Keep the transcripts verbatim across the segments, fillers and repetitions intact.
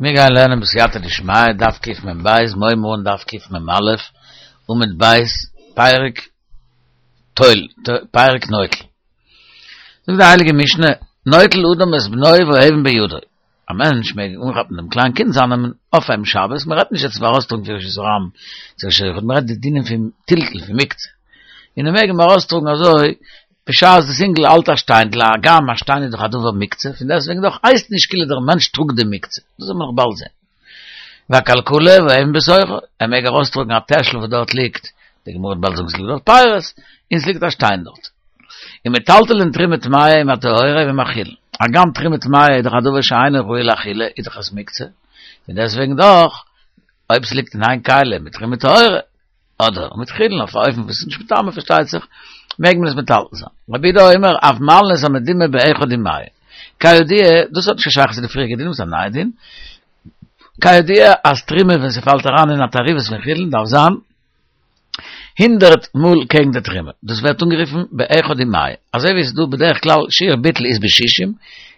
מיר גייען לערנען בסייעתא דשמיא, דף קמ"ב, מיר הייבן אן דף קמ"א, עמוד ב', פרק טול, פרק נוטל. זאגט די הייליגע משנה, נוטל אדם את בנו והאבן בידו. א מענטש מעג אנכאפן דעם קליין קינד זיינעם אויף אים שבת, מען רעדט נישט יעצט פון ארויסטראגן פון רשות הרבים צו רשות היחיד, מען רעדט די דינים פון טלטול פון מוקצה. און ער מעג אים ארויסטראגן אזוי בשעת דאס אינגל האלט א שטיינדל, הגם א שטיין איז דאך א דבר מוקצה, פון דעסטוועגן דאך הייסט נישט כאילו דער מענטש טראגט די מוקצה, דאס וועט מען נאך באלד זען. והכלכלה והאבן בתוכה, ער מעג ארויסטראגן א טעשל וואס דארט ליגט, די גמרא וועט באלד זאגן ס'ליגט דארט פירות, און ס'ליגט א שטיין דארט. ומטלטלין תרומה טמאה עם הטהורה ועם החולין, הגם תרומה טמאה איז דאך א דבר שאינו ראוי לאכילה, איז דאך עס מוקצה, פון דעסטוועגן דאך, אויב ס'ליגט אין איין כלי מיט תרומה טהורה, אדער מיט חולין אויף א אופן וואס איז נישט מטמא פארשטייט זיך, מעג מען עס מטלטל זיין. רבי יהודה אומר, אף מעלין את המדומע באחד ומאה. כידוע, דאס האט נישט קיין שייכות צו די פריעריגע דינים, ס'איז א נייע דין. כידוע אז תרומה ווען ס'פאלט אריין אין א תערובת פון חולין דארף זיין הונדערט מאל קעגן די תרומה. דאס ווערט אנגערופן באחד ומאה. אזוי ווי עס איז דא בדרך כלל שיעור ביטול איז בשישים,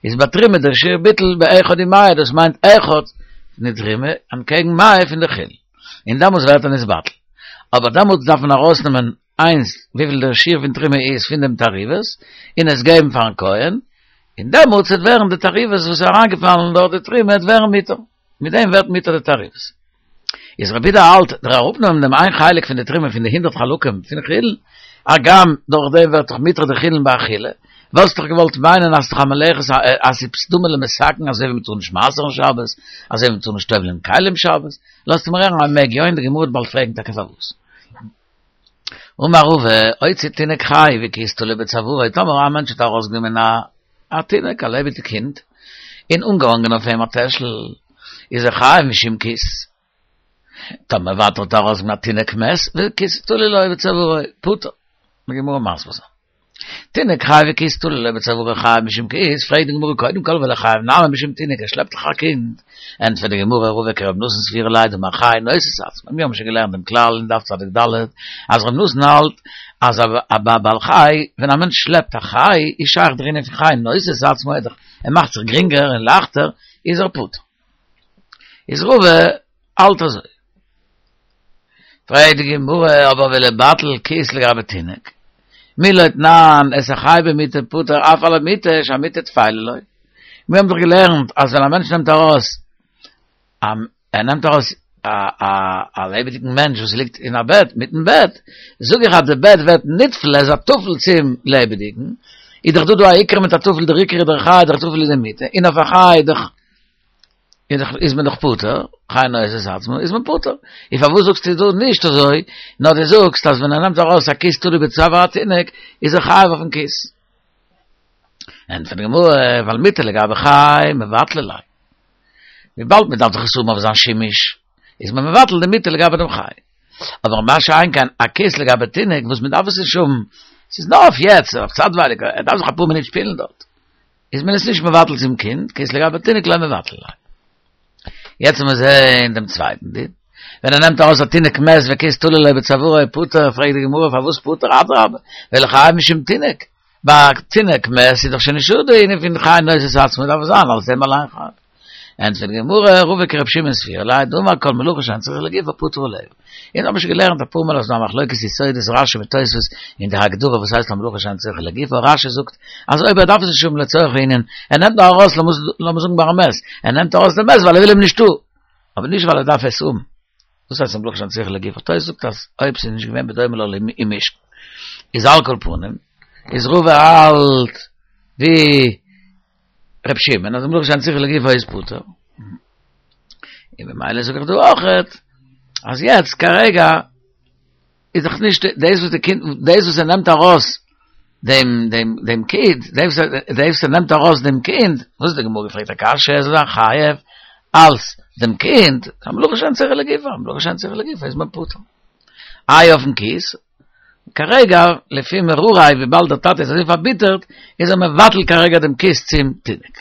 איז ביי תרומה דער שיעור ביטול באחד ומאה, דאס מיינט אחד פון די תרומה אנטקעגן מאה פון די חולין. און דעמאלטס ווערט ער נתבטל. אבער דעמאלטס דארף מען ארויסנעמען איינס וויפיל דער שיעור פון תרומה איז פון דעם תערובת, און עס געבן פארן כהן, און דעמאלטס וועט ווערן די תערובת וואס איז אריינגעפאלן דורך די תרומה וועט ווערן מותר, מיט דעם ווערט מותר די תערובת. איז רבי יהודה האלט דער אראפנעמען דעם איין חלק פון די תרומה פון די הונדערט חלקים פון חולין, הגם דורך דעם ווערט דאך מותר די חולין באכילה, וואלסט דאך געוואלט מיינען אז ס'דאך א מלאכת אז ס'איז דומה למתקן אזוי ווי מ'טאר נישט מעשר'ן שבת, אזוי ווי מ'טאר נישט טובל'ען כלים שבת, לאזט מיר הערן אז מ'מעג יא און די גמרא וועט באלד פרעגן טאקע פארוואס. אמר רבא, הוציא תינוק חי וכיס תלוי בצווארו, טאמער א מענטש האט ארויסגענומען א א תינוק, א לעבעדיג קינד, און אנגעהאנגען אויף אים א טעשל, איז ער חייב משום כיס. טאמער ווייטער האט ער ארויסגענומען א תינוק מת וכיס תלוי לו בצווארו, פטור. די גמרא מסביר זיין. תינוק חי וכיס תלוי לו בצווארו חייב משום כיס, פרעגט די גמרא קודם כל וליחייב נמי משום תינוק, ער שלעפט דאך א קינד, ענטפערט די גמרא רבא כרבי נתן סבירא ליה דאמר חי נושא את עצמו, מיר האבן שוין געלערנט דעם כלל אין דף צדיק ד' אז רבי נתן האלט אז א בעל חי, ווען א מענטש שלעפט א חי איז שייך דער ענין פון חי נושא את עצמו, ער מאכט זיך גרינגער און לייכטער, איז ער פטור. איז רבא האלט אזוי. פרעגט די גמרא, אבער וליבטל כיס לגבי תינוק, מי לא תנן את החי במיטה פטור אף על המיטה שהמיטה טפלה לו. מיר האבן דאך געלערנט אז ווען א מענטש נעמט ארויס א ער נעמט ארויס א א א לעבעדיגן מענטש וואס ליגט אין א בעט מיטן בעט, זאג איך אז די בעט ווערט נטפל, ער איז א טפל צום לעבעדיגן, איז דאך דא דא א עיקר מיט א טפל, דער עיקר איז דער חי, דער טפל איז די מיטה, און אויף א חי איז דאך איז דאך איז מען דאך פטור, חי נושא את עצמו איז מען פטור. און פארוואס זאגסטו דא נישט אזוי, נאר דו זאגסט אז ווען ער נעמט ארויס א כיס תלוי בצוואר התינוק איז ער חייב אויפן כיס. ענטפערט די גמרא, ווייל מיטה לגבי חי מבטלא ליה. וויבאלד מען דארף דאך עס האבן אויף זיין שימוש, איז מען מבטל די מיטה לגבי דעם חי. אבער מה שאין כן א כיס לגבי תינוק וואס מען דארף עס נישט האבן, ס'איז נאר אויף יעצט, אויף צייטווייליג, ער דארף זיך אפאר מינוט שפילן דארט. איז מען עס נישט מבטל צום קינד, כיס לגבי תינוק לא מבטלא ליה. יעצט לאמיר זעהן דעם צווייטן דין. ווען ער נעמט ארויס א תינוק מת וכיס תלוי לו בצווארו פטור, פרעגט די גמרא פארוואס פטור אדרבה, וליחייב משום תינוק, ביי א תינוק מת איז דאך שוין נישטא די ענין פון חי נושא את עצמו דארף עס זיין אלס דעם אליין חייב. ענטפערט די גמרא, רבא כרבי שמעון סבירא ליה דאמר כל מלאכה שאין צריכה לגופה פטור עליה. אונז האבן שוין געלערנט אפאר מאל אז ס'דא א מחלוקת יסודות רשי מיט תוספות אין די הגדרה וואס הייסט א מלאכה שאין צריכה לגופה, רשי זאגט אז אויב ער דארף עס נישט האבן לצורך הענין, ער נעמט נאר ארויס לאמיר זאגן ביי א מת, ער נעמט ארויס דעם מת ווייל ער וויל אים נישט דא, אבער נישט ווייל ער דארף עס האבן. דאס הייסט א מלאכה שאין צריכה לגופה. תוספות זאגט אז אויב ס'איז נישט געווען בדומה לו למשכן, איז על כל פנים, איז רבא האלט ווי ר' שמעון אז מלאכה שאין צריכה לגופה איז פטור. און במילא זאג איך דא אויכעט אז יעצט כרגע איז דאך נישט דאס וואס די קינד דאס וואס ער נעמט ארויס דעם דעם דעם קינד דאס וואס ער נעמט ארויס דעם קינד וואס די גמרא געפרעגט א קשיא ער זאל זיין חייב אלס דעם קינד א מלאכה שאין צריכה לגופה א מלאכה שאין צריכה לגופה איז מען פטור איי אויפן כיס כרגע, לפי מרורי, וויבאלד דער טאטע איז אזוי פארביטערט, איז ער מבטל כרגע דעם כיס צום תינוק.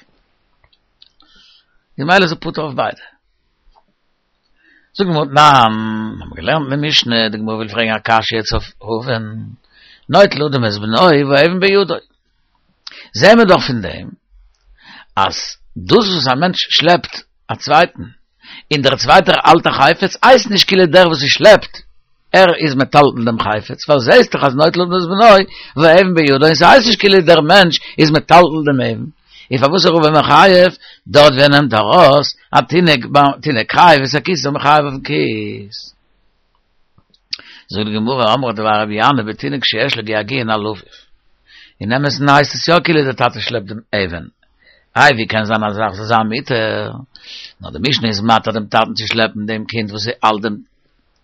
ממילא איז ער פטור אויף ביידע. זאגט די גמרא תנן, האבן מיר געלערנט אין די משנה, די גמרא וויל פרעגן א קשיא יעצט אויף רבא'ן, נוטל אדם את בנו והאבן בידו. זעהן מיר דאך פון דעם אז דאס וואס א מענטש שלעפט א צווייטן, און דער צווייטער האלט א חפץ, הייסט נישט כאילו דער וואס ס'שלעפט, ער איז מטלטל דעם חפץ, ווייל זעהסט דאך אז נוטל אדם את בנו והאבן בידו, און ס'הייסט נישט כאילו דער מענטש איז מטלטל דעם אבן. און פארוואס איז רבא מחייב? דארט ווי ער נעמט ארויס א תינוק תינוק חייב את הכיס איז ער מחייב אויפן כיס. זאגט די גמרא, אמרי דבי רבי ינאי בתינוק שיש לו געגועין על אביו. אין אמת'ן הייסט עס יא כאילו דער טאטע שלעפט דעם אבן. איי ווי קען זיין א זאך זאל זיין מותר? נאר די משנה איז מתיר דעם טאטן צו שלעפן דעם קינד וואס האלט דעם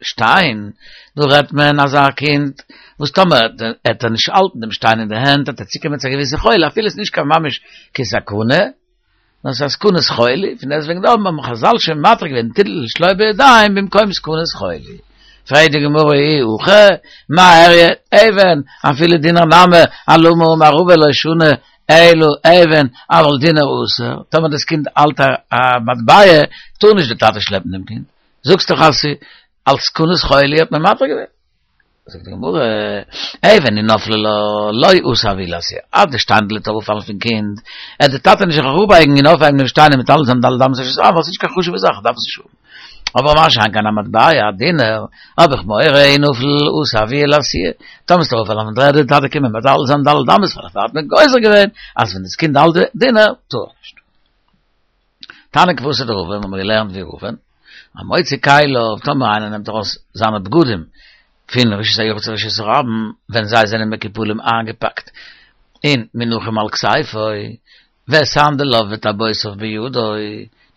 שטיין, דא רעדט מען אזא קינד וואס טאמער עט ער נישט האלטן דעם שטיין אין די הענט עט ער צוקומען צו א געוויסע חולי אפילו עס איז נישט קיין ממש קיין סכנה, נאר ס'איז א סכנת חולי, פון דעסטוועגן דא האבן חזל שוין מתיר געווען טלטול שלא בידיים במקום סכנת חולי. פרעגט די גמרא אי הכי מאי איריא אבן אפילו דינר נמי אלמה אמר רבא לא שנו אלא אבן אבל דינר אסור, טאמער דאס קינד האלט א מטבע טאר נישט די טאטע שלעפן דעם קינד, זאגסט דאך אז ס'איז אלס סכנת חולי האט מען מתיר געווען. זאגט די גמרא, אבן אי נפלה לה לא אתי אבוה לאתויי, אז די שטיינדל וועט אראפפאלן פון קינד, עט די טאטע נישט זיך אראפבייגן און אויפהייבן דעם שטיין און מטלטל זיין ד' אמות רשות הרבים ווייל ס'איז נישט קיין חשוב'ע זאך, דארף עס נישט האבן. אבער מה שאין כן א מטבע, א דינר, האב איך מורא אי נפל אתי אבוה לאתויי, טאמער ס'וועט אראפפאלן פון דר'ערד וועט די טאטע קומען מטלטל זיין ד' אמות דערפאר האט מען גוזר געווען אז ווען דאס קינד האלט די דינר טאר ער נישט. תניא כוותיה דרבא, האבן מיר געלערנט ווי רבא, המוציא כליו, טאמער איינער נעמט ארויס זיינע בגדים פון רשות היחיד צו רשות הרבים, ווען זיי זענען מקופלים איינגעפאקט און מונחים על כתפו, וסנדליו וטבעותיו בידו,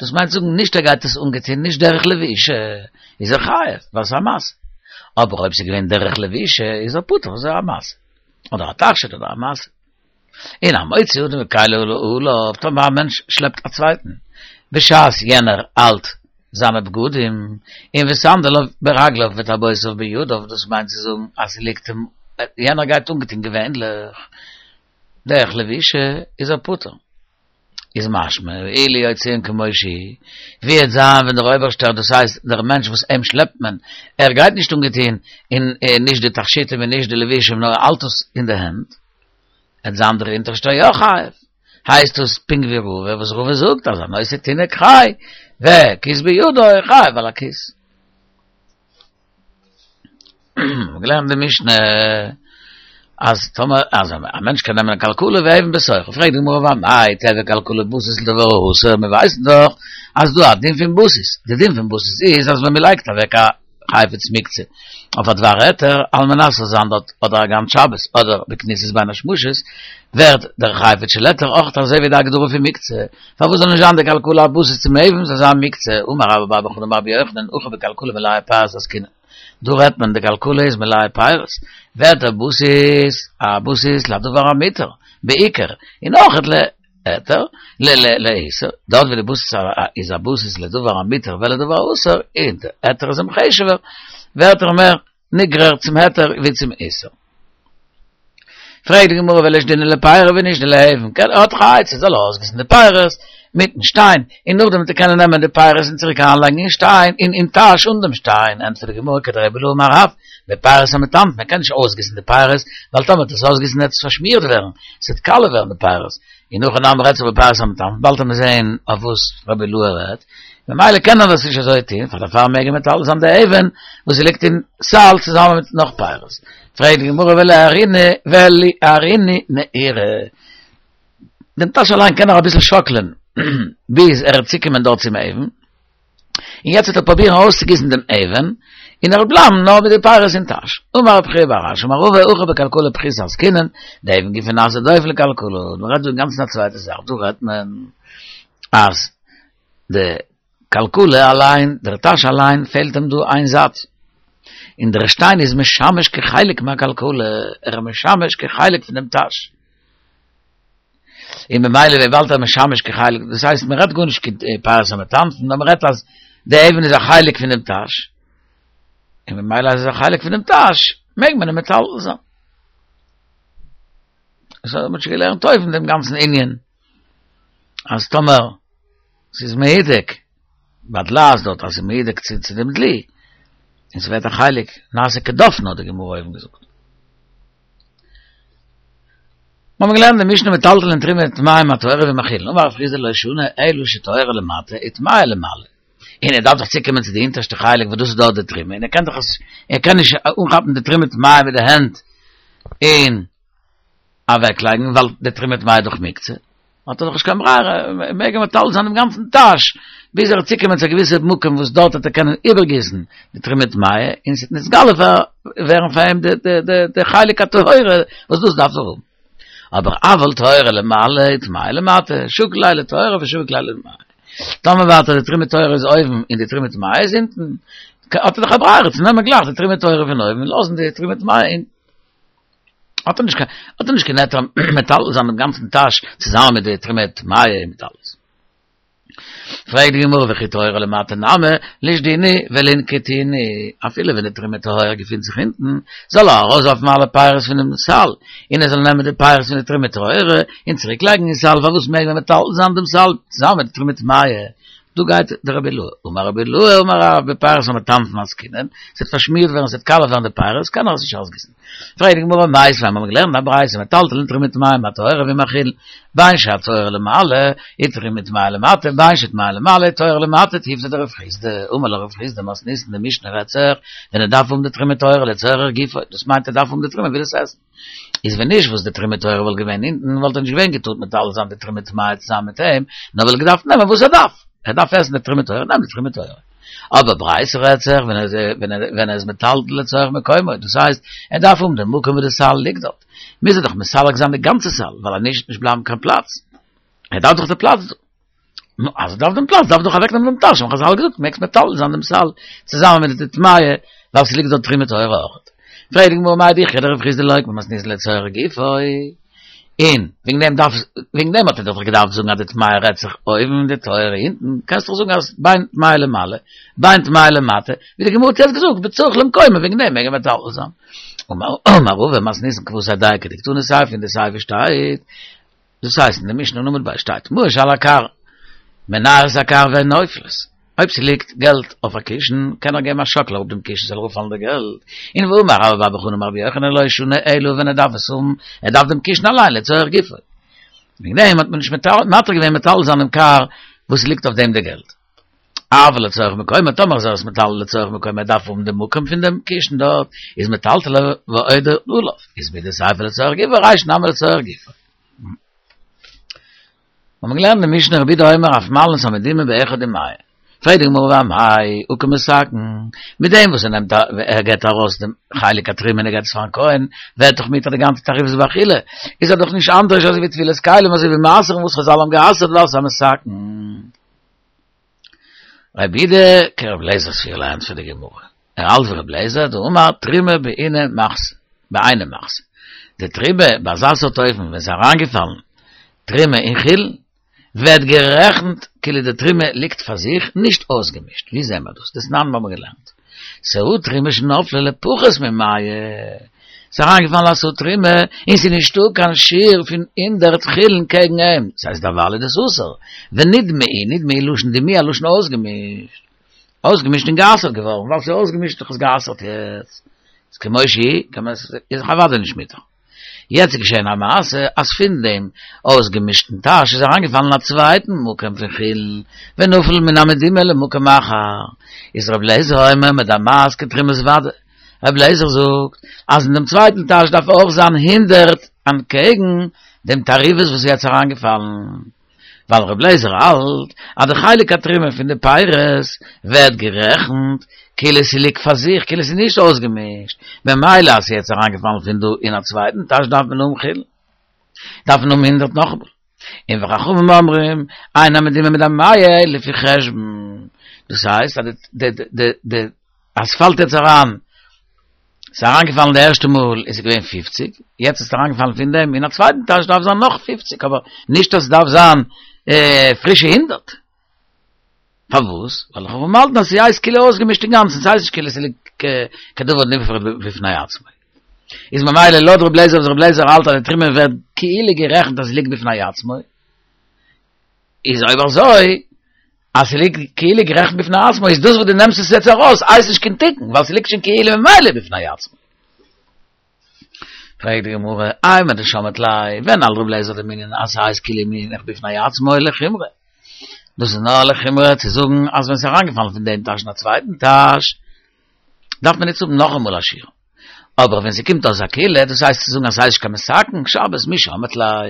דאס מיינט זאגן נישט ער גייט עס אנגעטון נישט דרך לבישה, איז ער חייב, ווייל ס'איז א משא. אבער אויב ס'איז געווען דרך לבישה איז ער פטור ווייל ס'איז א משא. אדער א תכשיט אדער א משא. און המוציא אדם וכליו עליו, טאמער א מענטש שלעפט א צווייטן, בשעת יענער האלט זיינע בגדים, און וסנדליו ברגליו וטבעותיו בידיו, דאס מיינט צו זאגן אז ס'ליגט אים, יענער גייט אנגעטון געווענליך, דרך לבישה, איז ער פטור. איז משמע, אילו הוציאן כמו שהוא, ווי עט זיין ווען דער אויבערשטער, דאס הייסט דער מענטש וואס אים שלעפט מען, ער גייט נישט אנגעטון אין נישט די תכשיטים און נישט די לבושים נאר ער האלט עס אין די הענט, עט זיין דער אונטערשטער יא חייב, הייסט עס פונקט ווי רבא וואס רבא זאגט אז הנושא תינוק חי וכיס בידו חייב על הכיס. מ'האט געלערנט די משנה אז טאמער אז א מענטש קען נעמען א כלכלה ואבן בתוכה, פרעגט די גמרא ואמאי תיהוי כלכלה בסיס לדבר האסור, מיר ווייסן דאך אז דא א דין פון בסיס, די דין פון בסיס איז אז ווען מ'לייגט אוועק א חפץ מוקצה אויף א דבר היתר על מנת ס'זאל זיין דארט אדער א גאנץ שבת אדער בכניסת בין השמשות ווערט דער חפץ של היתר אויך אזוי ווי די הגדרה פון מוקצה, פארוואס זאל נישט זיין די כלכלה א בסיס צום אבן זאל זיין מוקצה, אמר רבה בר בר חנה אמר רבי יוחנן הכא בכלכלה מלאה פירות עסקינן, דא רעדט מען די כלכלה איז מלאה פירות, ווערט דער בסיס א בסיס לדבר המותר בעיקר, און אויך להיתר, לאיסור, דארט ווי די בסיס איז א בסיס לדבר המותר ולדבר האסור, און די היתר איז אים חשוב'ער, ווערט ער מער נגרר צום היתר ווי צום איסור. פרעגט די גמרא ולישדינהו לפירי ונישדי לאבן, קען ער האט דאך א עצה, זאל ער אויסגיסן די פירות מיטן שטיין, און נאכדעם וועט ער קענען נעמען די פירות און צוריק אריינלייגן אין שטיין, אין אין טאש אן דעם שטיין, ענטפערט די גמרא כדרבי אילעא אמר רב, בפירות המטמטין, מען קען נישט אויסגיסן די פירות, ווייל טאמער וועט עס אויסגיסן וועט עס פארשמירט ווערן, עס וועט קאלע ווערן די פירות, און הכא נמי רעדט זיך בפירות המטמטין, באלד וועט מען זעהן אויף וואס רבי אילעא רעדט, ממילא קען ער דאס נישט אזוי טוהן, פאר דערפאר מעג ער מטלטל זיין די אבן וואס ליגט אין סל צוזאמען מיט נאך פירות. פרעגט די גמרא וליערינהו נהירי, דעם טאש אליין קען ער אביסל שאקלען ביז ער וועט צוקומען דארט צום אבן, און יעצט וועט ער פרובירן ארויסצוגיסן דעם אבן, און ער וועט בלייבן נאר מיט די פירות אין טאש. אמר רב חייא בר אשי אמר רבא הכא בכלכלה פחותה עסקינן, דאבן גופא נעשה דופן לכלכלה, מען רעדט דא אינגאנצן א צווייטע זאך, דא רעדט מען אז די כלכלה אליין, דער טאש אליין פעלט אים דא איין זייט, און דער שטיין איז משמש כחלק מהכלכלה, ער איז משמש כחלק פון דעם טאש. און ממילא וויבאלד ער משמש כחלק, דאס הייסט מען רעדט גארנישט קיין פירות המטמטין, נאר מען רעדט אז די אבן איז א חלק פון דעם טאש, און ממילא אז עס איז א חלק פון דעם טאש, מעג מען אים מטלטל זיין. דאס האט מען שוין געלערנט אויבן דעם גאנצן ענין, אז טאמער ס'איז מהודק, בדלעת דארט אז ס'איז מהודק צו צו דעם דלי, און ס'ווערט א חלק, נעשה כדופנו האט די גמרא אויבן געזאגט. מיר האבן געלערנט די משנה מטלטלין תרומה טמאה עם הטהורה ומאכילין. אמר רב חסדא לא שנו אלא שטהורה למטה וטמאה למעלה. און ער דארף דאך צוקומען צו די אונטערשטע חלק וואס דאס איז דארט די תרומה, און ער קען דאך עס, ער קען נישט אנכאפן די תרומה טמאה מיט די הענט און אוועקלייגן ווייל די תרומה טמאה איז דאך מוקצה, האט ער דאך נישט קיין ברירה, מעג ער מטלטל זיין דעם גאנצן טאש ביז ער וועט צוקומען צו א געוויסע מקום וואס דארט וועט ער קענען איבערגיסן די תרומה טמאה און ס'וועט נתגלה ווערן פאר אים די חלק הטהורה וואס דאס דארף ער האבן. אבער אבל טהורה למעלה וטמאה למטה, שקיל ליה לטהורה ושביק ליה לטמאה. טאמער ווייטער די תרומה טהורה איז אויבן און די תרומה טמאה איז אונטן, האט ער דאך א ברירה צו נעמען גלייך די תרומה טהורה פון אויבן און לאזן די תרומה טמאה אונטן. האט ער נישט קיין האט ער נישט קיין היתר מטלטל זיין דעם גאנצן טאש צוזאמען מיט די תרומה טמאה און מיט אלעס. פרעגט די גמרא וכי טהורה למטה נמי לישדינהו ולינקטינהו, אפילו ווען די תרומה טהורה געפינט זיך אונטן, זאל ער ארויסווארפן אלע פירות פונעם סל, און ער זאל נעמען די פירות פון די תרומה טהורה און צוריק לייגן אין סל, פארוואס מעג מען מטלטל זיין דעם סל צוזאמען מיט די תרומה טמאה? דא גייט דער רבי אילעא, אמר רבי אילעא אמר רב בפירות המטנפין עסקינן, ס'וועט פארשמירט ווערן, ס'וועט קאלע ווערן די פירות, קען ער עס נישט אויסגיסן. פרעגט די גמרא מיתיבי, מיר האבן געלערנט א ברייתא מטלטלין תרומה טמאה עם הטהורה ועם החולין, בין שהטהורה למעלה ותרומה טמאה למטה, בין שטמאה למעלה וטהורה למטה, תיובתא דרב חסדא, אמר לך רב חסדא מתניתין די משנה רעדט זיך ווען ער דארף האבן די תרומה טהורה לצורך גופו, דאס מיינט ער דארף האבן די תרומה וויל עס עסן. איז ווען נישט וואס די תרומה טהורה וואלט געווען אונטן וואלט ער נישט געווען געטארט מטלטל זיין די תרומה טמאה צוזאמען מיט אים, נאר וואלט געדארפט נעמען וואס ער דארף, ער דארף עסן די תרומה טהורה, נעם די תרומה טהורה. אבער ברייתא רעדט זיך ווען ער ווען ער איז מטלטל לצורך מקומו, דאס הייסט ער דארף האבן די מקום וואו די סל ליגט דארט, מוז ער דאך מסלק זיין די גאנצע סל, ווייל אז נישט וועט נישט בלייבן קיין פלאץ, ער דארף דאך די פלאץ דא. נו, אז ער דארף דעם פלאץ, דארף ער דאך אוועקנעמען דעם טאש, האבן חזל געזאגט, מעגסט מטלטל זיין דעם סל צוזאמען מיט די טמאה, ווייל ס'ליגט דארט תרומה טהורה אויך. פרעגט די גמרא מאי דכרע דרב חסדא לוקמה מתניתין לצורך גופו, און וועגן דעם דארף, וועגן דעם האט ער דאך געדארפט זאגן אז די טמאה רעדט זיך אויבן און די טהורה אונטן, קענסט דאך זאגן אז בין טמאה למעלה, בין טמאה למטה, ווי די גמרא האט יעצט געזאגט, בצריך למקומו, וועגן דעם מעג ער מטלטל זיין. אמר רבא מתניתין כוותיה דייקא דקתני סיפא אין די סיפא שטייט, דאס הייסט אין די משנה אין עמוד ב' שטייט מעות שעל הכר מנער את הכר והן נופלות, אויב ס'ליגט געלט אויף א קישן קען ער געבן א שאקל אראפ דעם קישן ס'זאל אראפפאלן די געלט, און ואמר רבה בר בר חנה אמר רבי יוחנן לא שנו אלא ווען ער דארף עס האבן, ער דארף דעם קישן אליין לצורך גופו. וועגן דעם האט מען נישט מתיר געווען מטלטל זיין דעם כר וואס ס'ליגט אויף דעם די געלט. אבל לצורך מקומו, טאמער איז ער עס מטלטל לצורך מקומו, ער דארף האבן די מקום פון דעם קישן דארט, איז מטלטלו ועובר עליו, איז מדסיפא לצורך גופו, רישא נמי לצורך גופו. האבן מיר געלערנט אין משנה רבי יהודה אומר אף מעלין את המדומע באחד ומאה. פרעגט די גמרא ואמאי הא קא מתקן, מיט דעם וואס ער נעמט ער געבט ארויס דעם חלק התרומה און ער געבט עס פארן כהן, ווערט דאך מותר די גאנצע תערובת באכילה, איז ער דאך נישט אנדערש אזוי ווי טבילת כלים אזוי ווי מעשר'ן וואס חזל האבן גע'אסר'ט ווייל ס'איז א מתקן. רבי יהודה כרבי אליעזר סבירא ליה ענטפערט די גמרא, ער האלט ווי רבי אליעזר דאמר תרומה בעינא מחתא, בעינא מחתא, די תרומה ביי אזא סארט אופן ווען ס'איז אריינגעפאלן תרומה אין חולין ווערט גערעכנט כאילו די תרומה ליגט פאר זיך נישט אויסגעמישט, ווי זעהן מיר דאס? דתנן מיר האבן געלערנט סאה תרומה שנפלה לפחות ממאה, ס'איז אריינגעפאלן א סאה תרומה און ס'איז נישטא קיין שיעור פון הונדערט חולין קעגן אים, ס'הייסט דערווייל איז דאס אסור, ונדמעו, נדמעו לשון דימוע לשון אויסגעמישט, אויסגעמישט און גע'אסר'ט געווארן, ווייל ס'איז אויסגעמישט איז דאך עס גע'אסר'ט יעצט, איז כמו שהיא, קען מען עס, איז דאך אוודאי נישט מותר. יעצט איז געשען א מעשה אז פון דעם אויסגעמישטן טאש איז אריינגעפאלן א צווייטן מקום פון חולין, ונפל מן המדומע למקום אחר, איז ר' אליעזר אומר מדמעת כתרומת ודאי, ר' אליעזר זאגט אז אין דעם צווייטן טאש דארף אויך זיין הונדערט אנטקעגן דעם תערובת וואס איז יעצט אריינגעפאלן. ווייל ר' אליעזר האלט אז די חלק התרומה פון די פירות ווערט גערעכנט כאילו ס'ליגט פאר זיך, כאילו ס'איז נישט אויסגעמישט, במילא אז ס'איז יעצט אריינגעפאלן פון דא אין א צווייטן טאש דארף מען האבן חולין, דארף מען האבן הונדערט נאכאמאל. און וחכמים אומרים, אין המדומע מדמע אלא לפי חשבון, דאס הייסט אז די די די אז ס'פאלט יעצט אריין, ס'איז אריינגעפאלן די ערשטע מאל איז עס געווען פֿופֿציק, יעצט איז עס אריינגעפאלן פון דעם אין א צווייטן טאש דארף זיין נאך פֿופֿציק, אבער נישט אז ס'דארף זיין פרישע הונדערט. פארוואס? ווייל חכמים האלטן אז ס'הייסט כאילו אויסגעמישט אינגאנצן, ס'הייסט נישט כאילו ס'ליגט כדבר נפרד בפני עצמו. איז ממילא לויט ר' אליעזר וואס ר' אליעזר האלט אז די תרומה ווערט כאילו גערעכנט אז ס'ליגט בפני עצמו, איז אויב אזוי אז ס'ליגט כאילו גערעכנט בפני עצמו איז דאס וואס דו נעמסט עס יעצט ארויס הייסט נישט קיין תיקון ווייל ס'ליגט שוין כאילו ממילא בפני עצמו. פרעגט די גמרא, אימר דשמעת ליה, ווען האלט רבי אליעזר דעם ענין אז ס'הייסט כאילו מונח בפני עצמו לחומרא. דאס איז נאר לחומרא צו זאגן אז ווען ס'איז אריינגעפאלן פון דעם טאש אין א צווייטן טאש, דארף מען נישט האבן נאכאמאל א שיעור. אבער ווען ס'קומט אויס א קולא, דאס הייסט צו זאגן אז ס'הייסט נישט קיין מתקן, שבת מי שמעת ליה.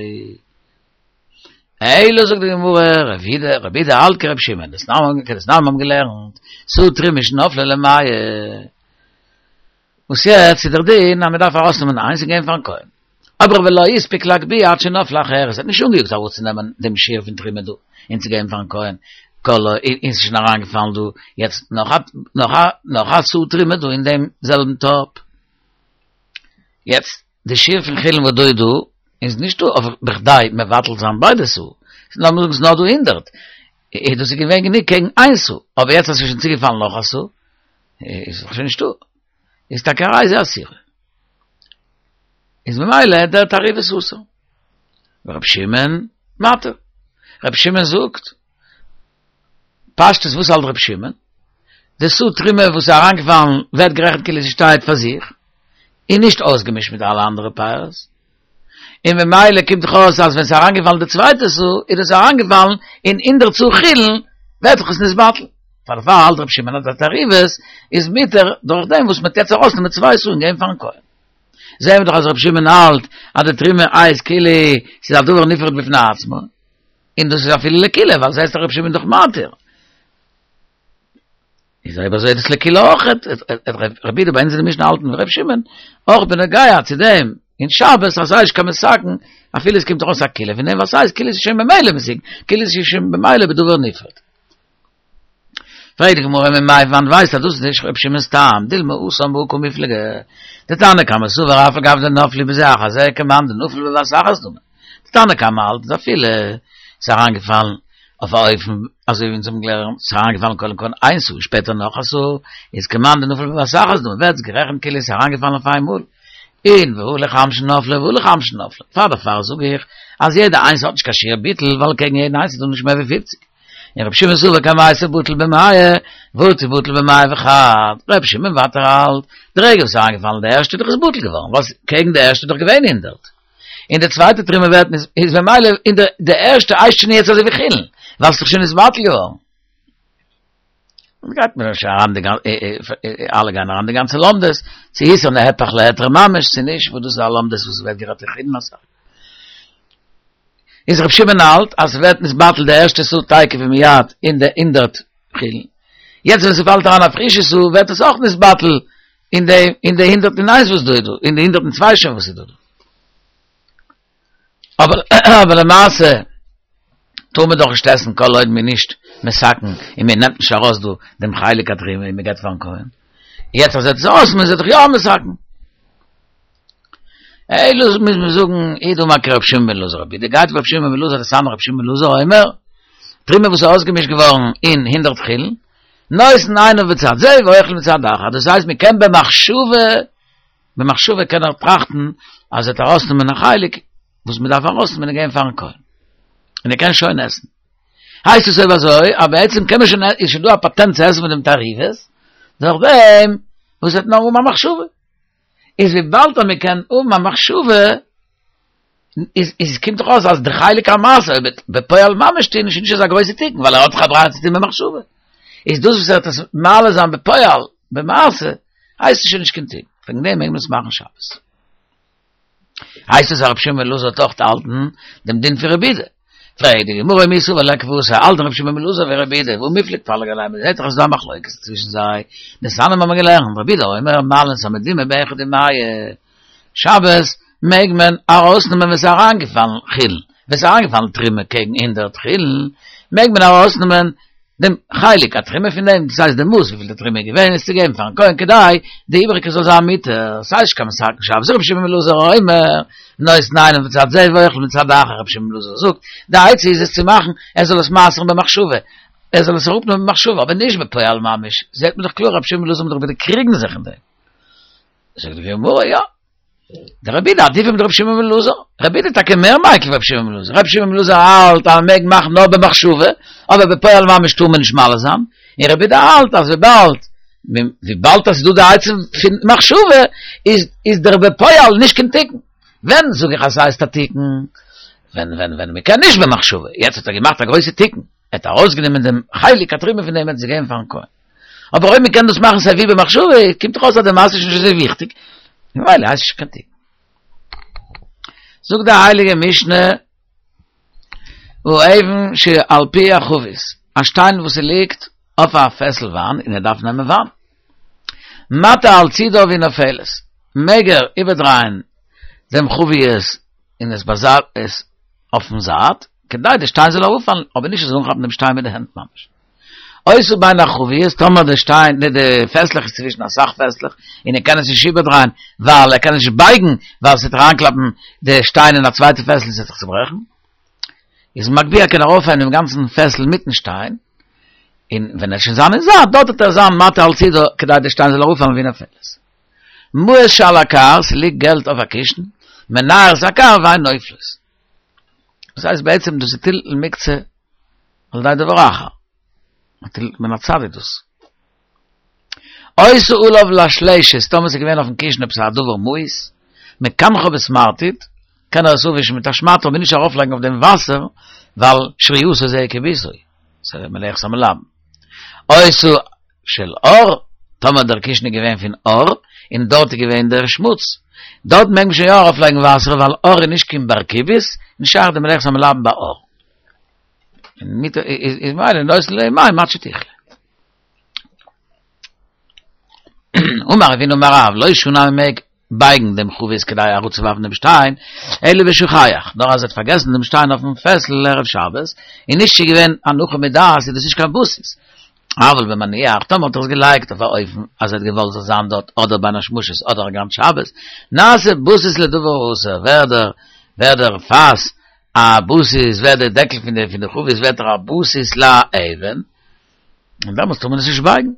אלא זאגט די גמרא, רבי יהודה, רבי יהודה האלט כרבי שמעון, דתנן כדתנן האבן געלערנט, סאה תרומה שנפלה למאה. וואס יעצט איז דער דין אז מען דארף ארויסנעמען איינס און געבן פארן כהן. אבער ולא הספיק להגביה עד שנפלה אחרת, ער האט נישט אנגעיאגט אראפצונעמען דעם שיעור פון תרומה דא און צו געבן פארן כהן, כל און ס'איז שוין אריינגעפאלן דא יעצט נאך א נאך א נאך א סאה תרומה דא אין דעם זעלבן טאפ. יעצט די שיעור פון חולין וואס דא איז דא איז נישט דא אויף בכדי מבטל זיין ביידע סאה, לאמיר זאגן ס'איז נאר דא הונדערט, איז דאס איז געווען גענוג קעגן איין סאה, אבער יעצט אז ס'איז שוין צוגעפאלן נאך א סאה, איז דאך שוין נישטא, איז טאקע הרי זו אסורה. איז ממילא דער תערובת אסור. רבי שמעון מתיר. רבי שמעון זאגט, פשטות וואס האלט רבי שמעון? די סאה תרומה וואס איז אריינגעפאלן ווערט גערעכנט כאילו זי שטייט פאר זיך, און נישט אויסגעמישט מיט אלע אנדערע פירות, און ממילא קומט דאך אויס אז ווען ס'איז אריינגעפאלן די צווייטע סאה איז דאס אריינגעפאלן אין הונדערט סאה חולין, ווערט דאך עס נתבטל. פאר דערפאר האלט רבי שמעון אז די תערובת איז מותר דורך דעם וואס מ'טוט יעצט ארויסנעמען צוויי סאה און געבן פארן כהן. זעהן מיר דאך אז רבי שמעון האלט אז די תרומה הייסט כאילו ס'איז א דבר נפרד בפני עצמו, און דאס איז אפילו לקולא ווייל זעהסט דאך רבי שמעון דאך מתיר. איז אויב אזוי איז דאס לקולא אויך, רבי יהודה ביי אונז אין די משנה האלטן ווי רבי שמעון, אויך בנוגע צו דעם אין שבת אז ס'איז נישט קיין מתקן, אפילו עס קומט ארויס א קולא פון דעם ווייל ס'הייסט כאילו ס'איז שוין ממילא מתוקן, כאילו ס'איז שוין במילא בדבר נפרד. פרעגט די גמרא ממאי וואנעט ווייסט אז דאס איז נישט רבי שמעון'ס טעם, דילמא התם בהא קמיפלגי, דתנא קמא סבר אף על גב דנפלו בזה אחר זה כמאן דנפלו בבת אחת דמי, דתנא קמא האלט אז אפילו ס'איז אריינגעפאלן אויף א אופן אזוי ווי אונז האבן געלערנט, ס'איז אריינגעפאלן קודם כל איין סאה שפעטער נאך א סאה, איז כמאן דנפלו בבת אחת דמי, ווערט עס גערעכנט כאילו ס'איז אריינגעפאלן אויף איינמאל, און והא לחמשין נפלו והא לחמשין נפלו, פאר דערפאר זאג איך אז יעדע איינס האט נישט קיין שיעור ביטול ווייל קעגן יעדן איינס איז דא נישט מער ווי פופציג. און רבי שמעון סבר קמייתא בטל במאה, ובטל בטל במאה וחד, רבי שמעון ווייטער האלט, די רגע וואס איז אריינגעפאלן די ערשטע איז דאך עס בטל געווארן, ווייל קעגן די ערשטע איז דאך געווען הונדערט, און די צווייטע תרומה ווערט נישט, איז ממילא אין די די ערשטע הייסט שוין יעצט אזוי ווי חולין, ווייל ס'איז דאך שוין נתבטל געווארן. און גייט מען שוין אריין די גאנ אלע גייען אריין די גאנצע לומדות, צו איתר נהפך להיתר ממש צו נישט, וואס דאס איז א לומדות וואס ווערט גערעדט אין חולין אסאך. איז רב שמעון האלט אז ס'ווערט נתבטל די ערשטע סאה תיכף ומיד אין די הונדערט חולין, יעצט ווען ס'פאלט אריין א פרישע סאה ווערט עס אויך נתבטל אין די אין די הונדערט און איינס וואס דא איז דא, אין די הונדערט און צוויי שוין וואס איז דא דא. אבער אבער למעשה טאר מען דאך נישט עסן כל עוד מ'איז נישט מתקן און מען נעמט נישט ארויס דא דעם חלק התרומה און מען געבט פארן כהן. יעצט אז ער האט עס ארויס איז ער דאך יא מתקן. אלא מוז מען זאגן הוא דאמר כרבי שמעון בן אלעזר רבי יהודה גייט ווי רבי שמעון בן אלעזר דתניא רבי שמעון בן אלעזר אומר תרומה וואס איז אויסגעמישט געווארן אין הונדערט חולין נותן עיניו בצד זה ואוכל מצד אחר דאס הייסט מען קען במחשבה במחשבה קען ער טראכטן אז ער וועט ארויסנעמען א חלק וואס מען דארף ארויסנעמען און געבן פארן כהן און ער קען שוין עסן הייסט עס אויב אזוי אז בעצם קען מען שוין איז שוין דא א פאטענט צו עסן פון דעם תערובת דורך דעם וואס וועט נאר האבן א מחשבה איז וויבאלד אז מען קען האבן א מחשבה, איז איז קומט דאך אויס אז די חלק המעשר אויב בפועל ממש טוהן איז נישט אזא גרויסע תיקון ווייל ער האט דאך א ברירה צו טוהן במחשבה, איז דאס וואס ער וועט עס מעלה זיין בפועל במעשה הייסט עס שוין נישט קיין תיקון, וועגן דעם מעג מען עס מאכן שבת. הייסט עס אז רבי שמעון בן אלעזר האט אויך געהאלטן דעם דין פון רבי יהודה. פרעגט די גמרא מי סבר לה כוותיה, האלט רבי שמעון בן אלעזר ווי רבי יהודה, והא מיפלג פליג עליה, מען זעט דאך אז ס'איז דא א מחלוקת צווישן זיי, דתניא מיר האבן געלערנט, רבי יהודה אומר מעלין את המדומע באחד ומאה, שבת מעג מען ארויסנעמען ווען ס'איז אריינגעפאלן חולין, ווען ס'איז אריינגעפאלן תרומה קעגן הונדערט חולין, מעג מען ארויסנעמען דעם חלק התרומה פון דעם, דאס הייסט די מאס וויפיל די תרומה איז געווען, עס צו געבן פארן כהן כדי די איבעריגע זאל זיין מותר, ס'הייסט נישט קיין מתקן שבת, רבי שמעון בן אלעזר אומר, נותן עיניו בצד זה ואוכל מצד אחר, רבי שמעון בן אלעזר זאגט, די עצה איז עס צו מאכן, ער זאל עס מעשר'ן במחשבה, ער זאל עס אראפנעמען במחשבה, אבער נישט בפועל ממש, זעט מען דאך קלאר רבי שמעון בן אלעזר מיט רבי יהודה קריגן זיך אין דעם. זאגט די גמרא, יא. דער רבי יהודה עדיפא מדרבי שמעון בן אלעזר, רבי יהודה איז טאקע מער מיקל ווי רבי שמעון בן אלעזר, רבי שמעון בן אלעזר האלט אז מען מעג מאכן נאר במחשבה, אבער בפועל ממש טאר מען נישט מעלה זיין, און רבי יהודה האלט אז וויבאלד וויבאלד אז ס'איז דא די עצה פון מחשבה, איז איז דער בפועל נישט קיין תיקון. ווען זאג איך אז ס'הייסט א תיקון? ווען ווען ווען מ'קען נישט במחשבה. יעצט האט ער געמאכט א גרויסע תיקון, ער האט ארויסגענומען דעם חלק התרומה פון דעם און עס געגעבן פארן כהן. אבער אויב מ'קען דאס מאכן סיי ווי במחשבה, קומט דאך אויס אז די מעשה איז נישט אזוי וויכטיג, ממילא הייסט עס נישט קיין תיקון. זאגט די הייליגע משנה, האבן שעל פי החבית, א שטיין וואס ס'ליגט אויף א פעסל וויין און ער דארף נעמען וויין, מטה על צידה והיא נופלת, מעג ער איבערדרייען דעם חבית און עס באזייט עס אויפן זייט, כדי די שטיין זאל אראפפאלן, אבער נישט ער זאל אנכאפן דעם שטיין מיט די הענט ממש. היתה בין החביות, טאמער די שטיין, די די פעסלעך איז צווישן אסאך פעסלעך, און ער קען עס נישט איבערדרייען, ווייל ער קען עס נישט בייגן, ווייל ס'וועט אריינקלאפן די שטיין אין א צווייטע פעסל און ס'וועט זיך צוברעכן, איז מגביה קען ער אויפהייבן דעם גאנצן פעסל מיטן שטיין, און ווען ער וועט שוין זיין אין זייט, דארט וועט ער זיין מטה על צידה כדי די שטיין זאל אראפפאלן והיא נופלת. מעות שעל הכר, ס'ליגט געלט אויף א קישן, מנער את הכר ואין נופלת. דאס הייסט בעצם דאס איז טלטול מוקצה על ידי דבר אחר. טלטול מן הצד איז דאס. היתה עליו לשלשת, טאמער ס'איז געווען אויפן קישן עפעס א דבר מאוס, מקנחה בסמרטוט, קען ער עס אפווישן מיט א שמאטע אבער נישט ארויפלייגן אויף דעם וואסער, ווייל שרייתו זה כיבוסו, ס'איז מלאכת המלבן. היתה של עור, טאמער דער קישן איז געווען פון עור, און דארט איז געווען דער שמוץ, דארט מעג מען שוין יא ארויפלייגן וואסער, ווייל עור איז נישט קיין בר כיבוס, נישט שייך די מלאכת המלבן ביי עור. און מיט איז איז ממילא נותנין עליה מים עד שתכלה. אמר רב הונא אמר רב, לא שנו אז מ'מעג בייגן דעם חבית כדי אראפצואווארפן דעם שטיין, אלא בשוכח, נאר אז ער האט פארגעסן דעם שטיין אויפן פעסל ערב שבת, און נישט ס'איז געווען הנחה מדעת איז דאס נישט קיין בסיס. אבל במניח, טאמער האט ער עס געלייגט אויף א אופן אז ער האט געוואלט זאל זיין דארט אדער בין השמשות אדער א גאנץ שבת, נעשה בסיס לדבר האסור, ווערט דער ווערט דער פאס א בסיס, ווערט דער דעקל פון די פון די חבית ווערט ער א בסיס לאבן, און דעמאלטס טאר מען עס נישט בייגן.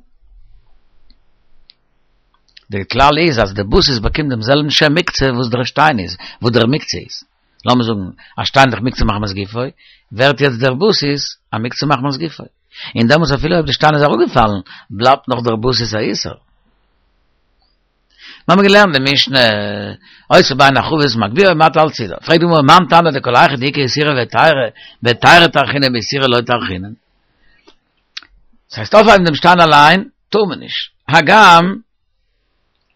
דער כלל איז אז דער בסיס באקומט דעם זעלבן שם מוקצה וואס דער שטיין איז, וואס דער מוקצה איז. לאמיר זאגן, א שטיין איז דאך מוקצה מחמת גופו, ווערט יעצט דער בסיס א מוקצה מחמת גופו. און דעמאלטס אפילו אויב די שטיין איז אראפגעפאלן, בלייבט נאך דער בסיס א איסור. מיר האבן געלערנט די משנה, היתה בין החבית מגביה ומטה על צידה. פרעגט די גמרא, מאן תנא דכל היכא דאיכא איסורא והיתרא, בהיתרא טרחינן באיסורא לא טרחינן. דאס הייסט אויפהייבן דעם שטיין אליין טאר מען נישט, הגם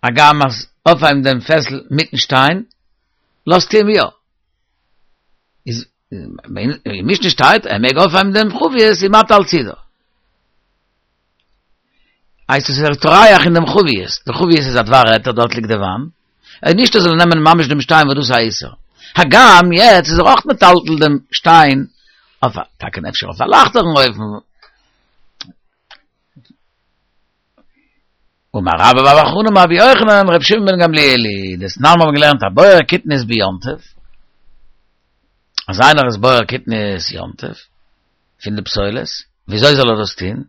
הגם אז אויפהייבן דעם פעסל מיטן שטיין לאזט אים יא. איז אין משנה שטייט ער מעג אויפהייבן דעם חבית און מטה על צידה. הייסט עס איז ער טורח אין דעם חבית, די חבית איז א דבר היתר דארט ליגט די וויין, און נישט ער זאל נעמען ממש דעם שטיין וואס דאס איז א איסור, הגם יעצט איז ער אויך מטלטל דעם שטיין אויף א, טאקע אפשר אויף א לייכטערן אופן. אמר רבה בר בר חנה אמר רבי יוחנן רבי שמעון בן גמליאל היא, דתנן מיר האבן געלערנט הבורר קטניות ביום טוב, אז איינער איז בורר קטניות יום טוב פון די פסולת, וויאזוי זאל ער דאס טון?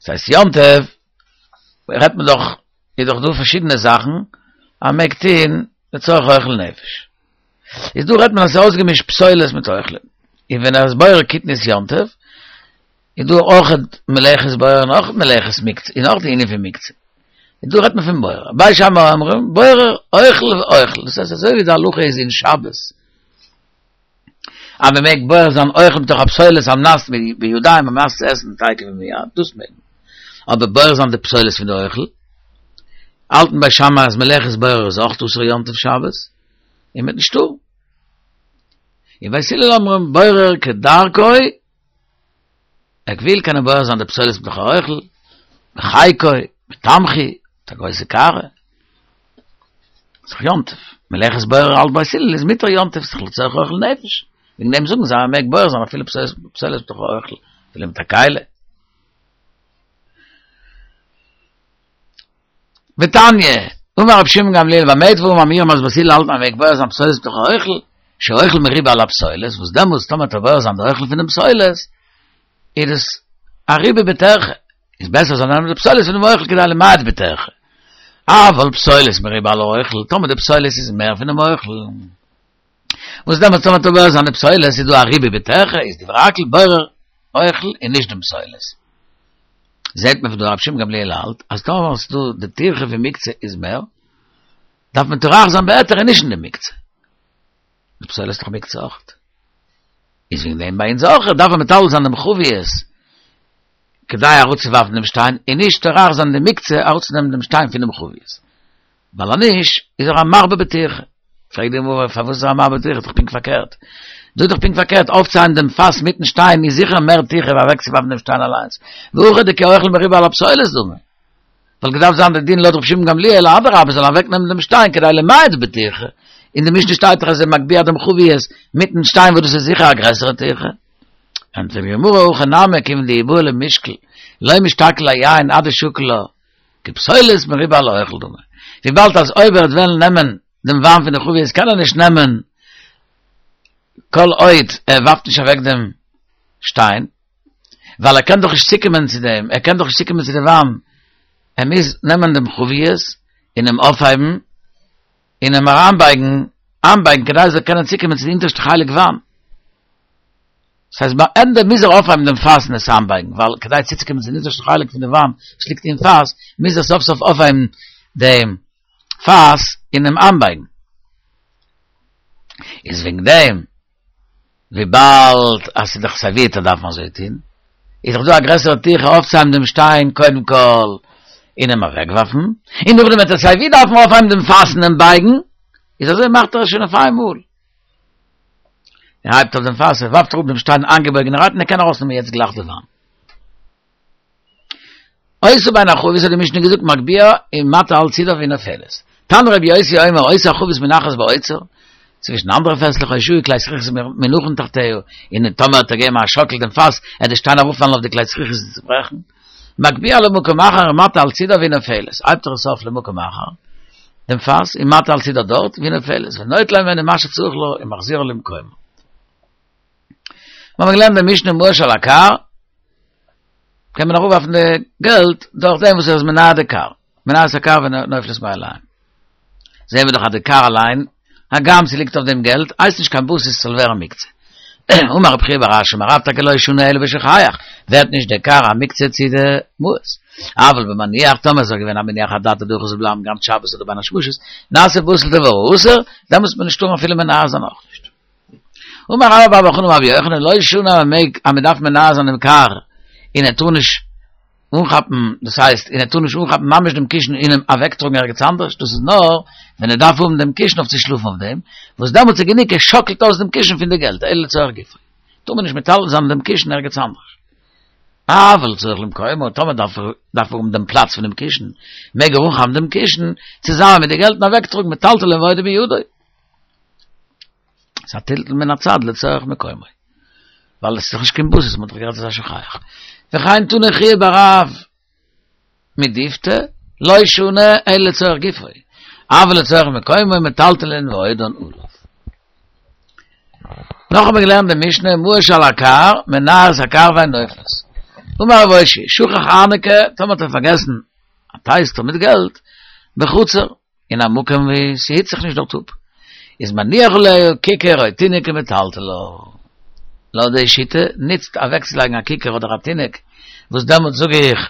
ס'הייסט יום טוב רעדט מען דאך, איז דאך דא פארשידענע זאכן אז מ'מעג טון לצורך אוכל נפש. איז דא רעדט מען אז ס'איז אויסגעמישט פסולת מיט אוכלים. און ווען ער איז בורר קטניות יום טוב, איז דא אויך מלאכת בורר און אויך מלאכת מוקצה, און אויך די ענין פון מוקצה. און דא רעדט מען פון בורר. בית שמאי אומרים, בורר אוכל ואוכל. דאס הייסט אזוי ווי די הלכה איז אין שבת, אז מען מעג בורר זיין אוכל מתוך הפסולת על מנת בידיים על מנת צו עסן תיכף ומיד, דאס מעג מען. אבער בורר זיין די פסולת פון די אוכל, האלטן בית שמאי אז מלאכת בורר איז אויך אסור יום טוב שבת, און מ'וועט נישט טארן. און בית הלל אומרים בורר כדרכו, ער וויל קען ער בורר זיין די פסולת מתוך האוכל, בחיקו, בתמחוי, מיט א גרויסע קערה. ס'איז דאך יום טוב. מלאכת בורר האלט בית הלל איז מותר יום טוב, ס'איז דאך לצורך אוכל נפש. וועגן דעם זאגן זיי אז מ'מעג בורר זיין אפילו פסולת מתוך האוכל, אפילו מיט א כלי. ותניא, אמר רבי שמעון גמליאל במה דברים אמורים אז בית הלל האלטן אז מ'מעג בורר זיין פסולת מתוך האוכל, שהאוכל מרובה על הפסולת, וואס דעמאלטס טאמער וועט ער בורר זיין די אוכל פונעם פסולת, איז עס א ריבוי בטירחא, איז בעסער זאל נעמען די פסולת פונעם אוכל כדי למעט בטירחא. אבל פסולת מרובה על האוכל, טאמער די פסולת איז מער פונעם אוכל, וואס דעמאלטס טאמער וועט ער בורר זיין די פסולת איז דא א ריבוי בטירחא, איז דברי הכל בורר אוכל און נישט דעם פסולת. זעט מען פון דא רב שמעון גמליאל האלט, אז טאמער ס'איז דא די טירחה פון מוקצה איז מער, דארף מען טורח זיין בהיתר און נישט אין די מוקצה. די פסולת איז דאך מוקצה אויך. איז וועגן דעם ביי אונז אויך דארף מען מטלטל זיין דעם חבית כדי אראפצואווארפן דעם שטיין און נישט טורח זיין די מוקצה אראפצונעמען דעם שטיין פונעם חבית. ווייל אז נישט איז ער א מרבה בטירחה. פרעגט די גמרא פארוואס איז ער א מרבה בטירחה? איז דאך פונקט פארקערט. דא איז דאך פונקט פארקערט, אויפצוהייבן דעם פאס מיטן שטיין איז זיכער מער טירחה ווי אוועקצואווארפן דעם שטיין אליינס. והכא דכאוכל מרובה על הפסולת דמי. וואלט געדארפט זיין די דין לויט רבי שמעון גמליאל אדרבה זאל אוועקנעמען דעם שטיין כדי למעט בטירחה. אין די משנה שטייט דאך אז ער מגביה דעם חבית מיטן שטיין וואס דאס איז זיכער א גרעסערע טירחה. ענטפערט די גמרא הכא נמי כיוון דאי בעי למישקל לא משתקיל היין עד דשקיל לה כפסולת מרובה על האוכל דמי. וויבאלד אז אויב ער וועט וועלן נעמען דעם וויין פון די חבית קען ער נישט נעמען כל עוד ער ווארפט נישט אוועק דעם שטיין, ווייל ער קען דאך נישט צוקומען צו דעם, ער קען דאך נישט צוקומען צו די וויין, ער מוז נעמען דעם חבית און אים אויפהייבן און אים אריינבייגן, איינבייגן כדי ער זאל קענען צוקומען צו די אונטערשטע חלק וויין. דאס הייסט ביי ענדע מוז ער אויפהייבן דעם פאס און עס איינבייגן, ווייל כדי צוצוקומען צו די אונטערשטע חלק פון די וויין וואס ליגט אין פאס, מוז ער סוף סוף אויפהייבן דעם פאס און אים איינבייגן. איז וועגן דעם, וויבאלד אז ס'איז דאך סייווי דארף מען אזוי טון, איז דאך דא א גרעסערע טירחה אויפצוהייבן דעם שטיין קודם כל און אים אוועקווארפן, און נאכדעם וועט ער סייווי דארפן אויפהייבן דעם פאס און אים בייגן, איז אזוי מאכט ער עס שוין אויף איין מאל. ער הייבט אויף דעם פאס, ער ווארפט אראפ דעם שטיין איינגעבויגענערהייט און ער קען ארויסנעמען יעצט גלייך די וויין. היתה בהן החבית האט די משנה געזאגט מגביה ומטה על צידה והיא נופלת. תנא רבי יוסי אומר היתה החבית מונחת באוצר, צווישן אנדערע פעסלעך או שהיו כלי זכוכית מונחין תחתיה, און טאמער האט ער געגעבן א שאקל דעם פאס, עט די שטיין אראפפאלן אויף די כלי זכוכית און צוברעכן. מגביה למקום אחר ומטה על צידה והיא נופלת, הייבט ער עס אויף למקום אחר, דעם פאס, און מטה על צידה דארט, והיא נופלת, ונוטלה ממנה מה שצריך לה ומחזירה למקומה. מיר האבן געלערנט די משנה מעות שעל הכר, קען מען אראפווארפן די געלט דורך דעם וואס ער איז מנער די כר, מנער את הכר ונופלת מאליהן. זעהן מיר דאך אז די כר אליין, הגם ס'ליגט אויף דעם געלט, הייסט נישט קיין בסיס ס'זאל ווערן מוקצה. אמר רב חייא בר אשי אמר רב טאקע לא שנו אלא בשוכח, ווערט נישט די כר א מוקצה צו די מעות. אבל במניח, טאמער איז ער געווען א מניח אדעתא דהכי זאל בלייבן גאנץ שבת אדער בין השמשות, נעשה בטל דבר האסור, דעמאלטס וועט מען נישט טארן אפילו מנער זיין אויך נישט. אמר רבה בר בר חנה אמר רבי יוחנן לא שנו אז מ'מעג אז מ'דארף מנער זיין דעם כר און ער טאר נישט אנכאפן דאס הייסט און ער טאר נישט אנכאפן ממש דעם קישן און אים אוועקטראגן ערגעץ אנדערש דאס איז נאר ווען ער דארף האבן דעם קישן אויף צו שלאפן אויף דעם וואס דעמאלטס איז גענוג ער שאקלט אויס דעם קישן פון די געלט אלא לצורך גופו טאר מען נישט מטלטל זיין דעם קישן ערגעץ אנדערש אבל לצורך למקומו טאמער דארף ער דארף ער האבן דעם פלאץ פונעם קישן מעג ער אנכאפן דעם קישן צוזאמען מיט די געלט און אוועקטראגן מטלטלין ועודו בידו. ס'איז א טלטול מן הצד לצורך מקומו. ווייל עס איז דאך נישט קיין בסיס, מ'האט דאך גערעדט אז ס'איז א שוכח. וכן תנא חייא בר רב מדיפתי, לא שנו אלא לצורך גופו, אבל לצורך מקומו מטלטלין ועודן עליו. נאך האבן מיר געלערנט די משנה מעות שעל הכר, מנער את הכר והן נופלות. אמר רב אושעיא, שכח ארנקי, טאמער האט ער פארגעסן א טייסטער מיט געלט, בחצר, אין א מקום ווי ס'היט זיך נישט דארט אפ, איז מניח עליה ככר או תינוק ומטלטלה. לויט די שיטה נוצט אוועקצולייגן א ככר אדער א תינוק, וואס דעמאלט זאג איך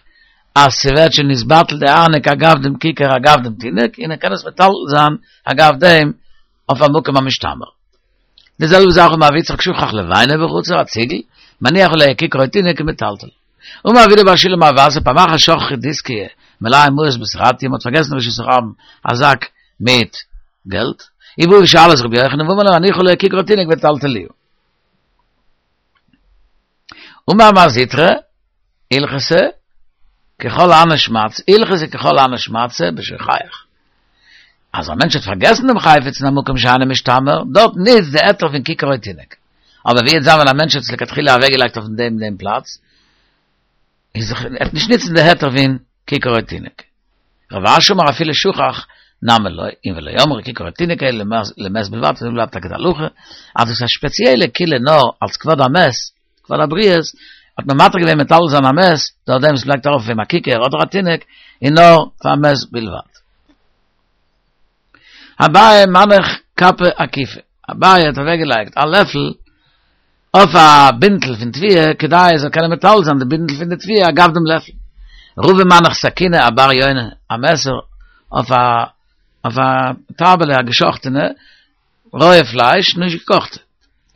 אז ס'ווערט שוין נתבטל די ארנק אגב דעם ככר אגב דעם תינוק, און ער קען עס מטלטל זיין אגב דעם אויף א מקום המשתמר. די זעלבע זאך אמר רב יצחק שכח לבנה בחצר, א ציגל, מניח עליה ככר או תינוק ומטלטלה. אמר רב אידי בר שילא אמר רב אסי פעם אחת שכחו דיסקיא מלאה מעות בסרטיא, מ'האט פארגעסן ברשות הרבים א זאק מיט געלט, ובאו ושאלו את רבי יוחנן ואמרו להם הניחו עליה ככר או תינוק וטלטלוה. אמר מר זוטרא, הלכתא ככל הני שמעתתא, הלכתא ככל הני שמעתתא בשוכח. אז א מענטש האט פארגעסן דעם חפץ אין א מקום שאינו משתמר, דארט נוצט די היתר פון ככר או תינוק. אבער ווי וועט זיין ווען א מענטש האט עס לכתחילה אוועקגעלייגט אויף דעם דעם פלאץ, איז ער וועט נישט נוצן די היתר פון ככר או תינוק. רב אשי אמר אפילו שכח נמי לא, און ולא אמרו ככר או תינוק אלא למת בלבד, אזוי בלייבט טאקע די הלכה, אז דאס איז א ספעציעלע קולא נאר אלס כבוד המת, כבוד הבריות, האט מען מתיר געווען מטלטל זיין א מת, דורך דעם וואס מ'לייגט ארויף אויף אים א ככר אדער א תינוק, און נאר פאר מת בלבד. אביי מנח כפא אקיפא, אביי האט אוועקגעלייגט א לעפל אויף א בינטל פון תבואה כדי ער זאל קענען מטלטל זיין די בינטל פון די תבואה אגב דעם לעפל. רבא מנח סכינא אבר יונה, א מעסער אויף א אויף א טייבעלע א געשאכטענע רויע פלייש, נישט געקאכטע,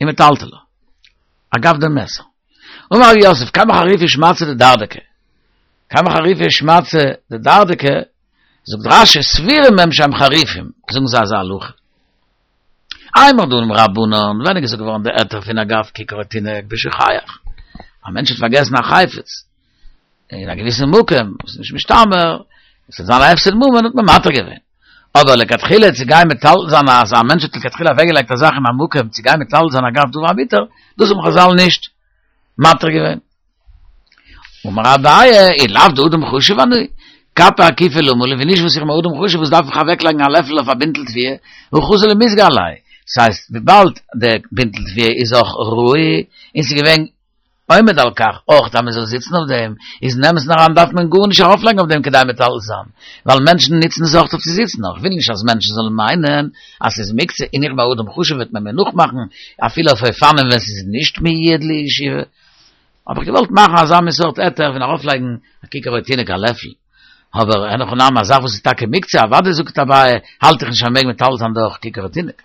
ומטלטלה. אגב דעם מעסער. אמר רב יוסף, כמה חריפא שמעתתא דדרדקי. כמה חריפא שמעתתא דדרדקי, זאגט רש"י, סבורים הם שהם חריפים, זאגן זיי אזא הלכה. אימור דאמור רבנן, ווען איז געזאגט געווארן די היתר פון אגב ככר התינוק בשוכח. א מענטש האט פארגעסן א חפץ אין א געוויסן מקום, וואס איז נישט משתמר, עס וועט זיין א הפסד ממון, האט מען מתיר געווען. אבער לכתחילה צו גיין מטלטל זיין אז א מענטש האט לכתחילה אוועקגעלייגט א זאך אין א מקום צו גיין מטלטל זיין אגב דבר המותר, דאס האבן חז"ל נישט מתיר געווען. אמר אביי, אי לאו דאדם חשוב אני, כפה אקיפה למה לי, ווען נישט וואס איך בין אדם חשוב וואס דארף איך אוועקלייגן א לעפל אויף א בינטל תבואה, הא חזי למיזגא עליה. ס'הייסט, וויבאלד די בינטל תבואה איז אויך ראוי, און ס'איז געווען עומד על כך, אויך אז מ'זאל זיצן אויף דעם, איז אין אמת'ן אריין דארף מען גארנישט ארויפלייגן אויף דעם כדי מטלטל זיין, ווייל מענטשן נוצן עס אויך אויף צו זיצן, נאר איך וויל נישט אז מענטשן זאלן מיינען אז ס'איז מוקצה און איך בין אדם חשוב וועט מען מיר נאכמאכן אפילו אויף אופנים ווען ס'איז נישט מיועד לישיבה. האב איך געוואלט מאכן אזא מין סארט היתר פון ארויפלייגן א ככר התינוק א לעפל, אבער אין הכי נמי א זאך וואס איז טאקע מוקצה, אוודאי זאגט אביי האלט איך נישט אז מ'מעג מטלטל זיין דורך ככר התינוק.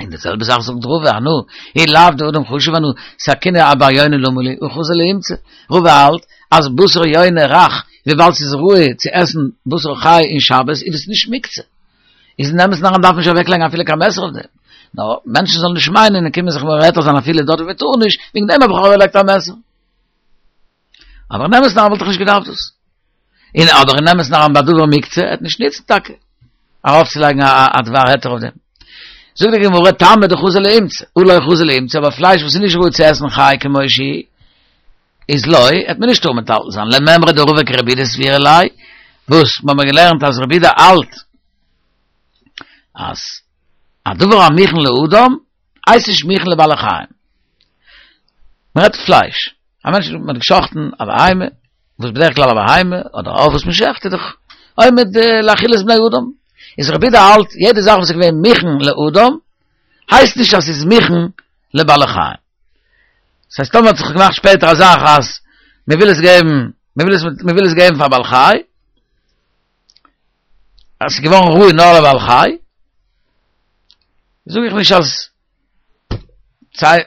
און די זעלבע זאך זאגט רבא, אנא, אי לאו דאדם חשוב אנא, סכינא אבר יונה למה לי, הא חזי לאימצא. רבא האלט אז בשר יונה רך, וויבאלד ס'איז ראוי צו עסן בשר חי אין שבת, איז עס נישט מוקצה. איז אין אמת'ן אריין דארף מען נישט אוועקלייגן אפילו קיין מעסער אויף דעם. נאר מענטשן זאלן נישט מיינען און קומען זיך מורה היתר זיין אפילו דארט וואו מען טאר נישט, וועגן דעם האב איך אוועקגעלייגט א מעסער. אבער אין אמת'ן אריין וואלט איך נישט געדארפט דאס. און אבער אין אמת'ן אריין ביי דבר מוקצה עט נישט ניצן טאקע ארויפצולייגן א דבר היתר אויף דעם. זאגט די גמרא טמא דחזי לאימצא, הא לא חזי לאימצא, אבער פלייש וואס איז נישט ראוי צו עסן חי כמו שהיא, איז לא, עט מען נישט טארן מטלטל זיין, למימרא דרבא כרבי יהודה סבירא ליה, וואס מ'האמיר געלערנט אז רבי יהודה האלט אז א דבר המוכן לאדם הייסט נישט מוכן לבעלי חיים. מ'רעדט פלייש, א מענטש האט געשחט'ן א בהמה, וואס בדרך כלל א בהמה אדער א עוף וואס מ'שחט איז דאך עומד לאכילת בני אדם, איז רבי יהודה האלט יעדע זאך וואס איז געווען מוכן לאדם הייסט נישט אז ס'איז מוכן לבעלי חיים. ס'הייסט טאמער האט זיך געמאכט שפעטער א זאך אז מ'וויל עס געבן, מ'וויל עס מ'וויל עס געבן פאר בעל חי, אז ס'איז געווארן ראוי נאר לבעל חי, זאג איך נישט אז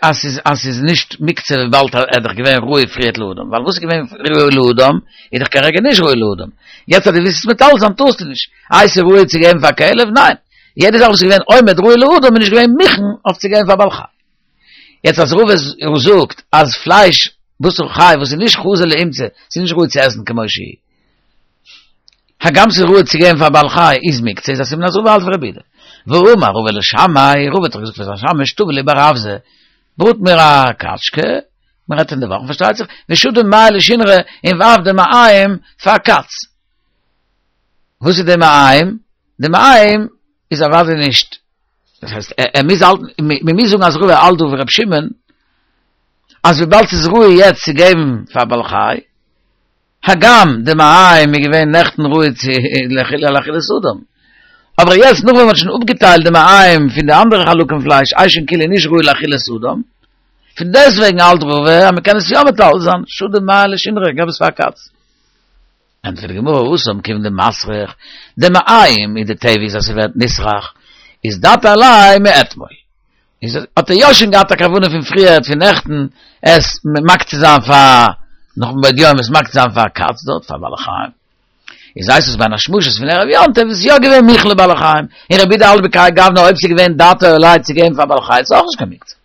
אז ס'איז אז ס'איז נישט מוקצה וויבאלד ער איז דאך געווען ראוי פריערט לאדם, ווייל וואס איז געווען ראוי לאדם איז דאך כרגע נישט ראוי לאדם, יעצט אז דו ווילסט עס מטלטל זיין טארסטו נישט, איי ס'איז ראוי צו געבן פאר כלב? ניין, יעדע זאך וואס איז געווען עומד ראוי לאדם איז נישט געווען מוכן אויף צו געבן פאר בעל חי. יעצט אז רבא זאגט אז פלייש בשר חי וואס איז נישט חזי לאימצא, ס'איז נישט ראוי צו עסן כמו שהיא, הגם ס'איז ראוי צו געבן פאר בעל חי איז מוקצה איז א סימן אז רבא האלט ווי רבי יהודה. והאמר רבא לשמעיה, רבא האט דאך געזאגט פאר זיין שמש טוי לי בר אווזא, בראט מיר א קאטשקע, מען רעדט אין די וואכן פארשטייט זיך, ושדי מעי לשונרא און ווארף די מעיים פאר קאץ. וואס איז די מעיים? די מעיים איז אוודאי נישט דאס הייסט ער מוז האלטן, מען מוז זאגן אז רבא האלט דא ווי ר' שמעון, אז וויבאלד ס'איז ראוי יעצט צו געבן פאר בעל חי, הגם די מעיים איז געווען נעכטן ראוי צו לאכילת אדם, אבער יעצט נאך ווען מ'האט שוין אפגעטיילט די מעיים פון די אנדערע חלקים פלייש איז שוין כאילו נישט ראוי לאכילת אדם, פון דעסטוועגן האלט רבא אז מ'קען עס יא מטלטל זיין, שדי מעייה לשונרא, געב עס פאר א קאץ. ענטפערט די גמרא התם כיון דמסריח, די מעיים איז די טבע איז אז ס'ווערט נסרח, איז דעתיה עליה מאתמול. איז האט ער יא שוין געהאט א כוונה פון פריערט פון נעכטן עס מקצה זיין פאר נאך מבעוד יום עס מקצה זיין פאר א קאץ דארט פאר בעלי חיים. איז הייסט עס בין השמשות פון ערב יום טוב איז יא געווען מוכן לבעלי חיים, און רבי יהודה האלט בכהאי גוונא אויב ס'איז געווען דעתו עליה צו געבן פאר בעלי חי איז אויך נישט קיין מוקצה.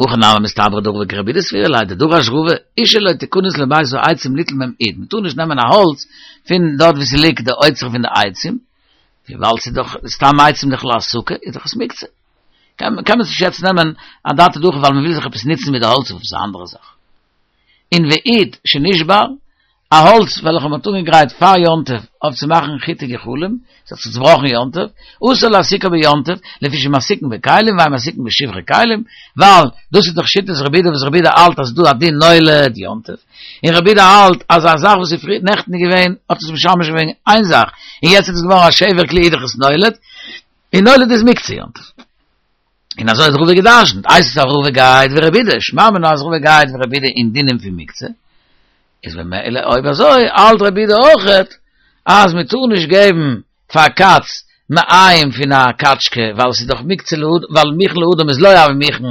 הכי נמי מסתברא דרבא כרבי יהודה סבירא ליה דדרש רבא אשה לא תכנס לבית העצים ליטול מהם אוד מ'טאר נישט נעמען א האלץ פון דארט ווי ס'ליגט די אוצר פון די עצים וויבאלד ס'איז דאך סתם עצים דאך להסקה איז דאך עס מוקצה קען מען עס נישט יעצט נעמען אדעתא דהכי ווייל מ'וויל זיך עפעס נוצן מיט די האלץ אויף עפעס א אנדערע זאך און ואוד שנשבר א האלץ וועלכע מ'האט אנגעגרייט פאר יום טוב אויף צו מאכן חיטי גחלים, ס'האט זיך צובראכן יום טוב, אסור להסיקו ביום טוב, לפי שמסיקין בכלים ואין מסיקין בשברי כלים, ווייל דאס איז דאך שיטת רבי יהודה וואס רבי יהודה האלט אז ס'דא א דין נולד יום טוב, און רבי יהודה האלט אז א זאך וואס איז פריער נעכטן געווען האט עס משמש געווען איין זאך, און יעצט איז עס געווארן א שבר כלי איז דאך עס נולד, און נולד איז מוקצה יום טוב. און אזוי האט רבא געדרשנט, הייסט עס אז רבא גייט ווי רבי יהודה, שמע מינה אז רבא גייט ווי רבי יהודה אין דינים פון מוקצה, איז במילא אויב אזוי, האלט רבי יהודה אויכעט, אז מען טאר נישט געבן פאר קאץ מעיים פון א קאטשקע, ווייל עס איז דאך מוקצה לאדם, ווייל מוכן לאדם איז לא הוי מוכן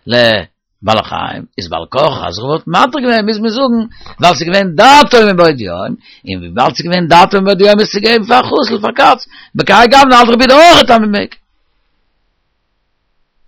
לבעלי חיים, איז בעל כרחך אז רבא האט מתיר געווען מוז מען זאגן, ווייל ס'איז געווען דעתו מבעוד יום, און וויבאלד ס'איז געווען דעתו מבעוד יום איז צו געבן פאר חתול פאר קאץ, בכהאי גוונא האלט רבי יהודה אויכעט אז מען מעג.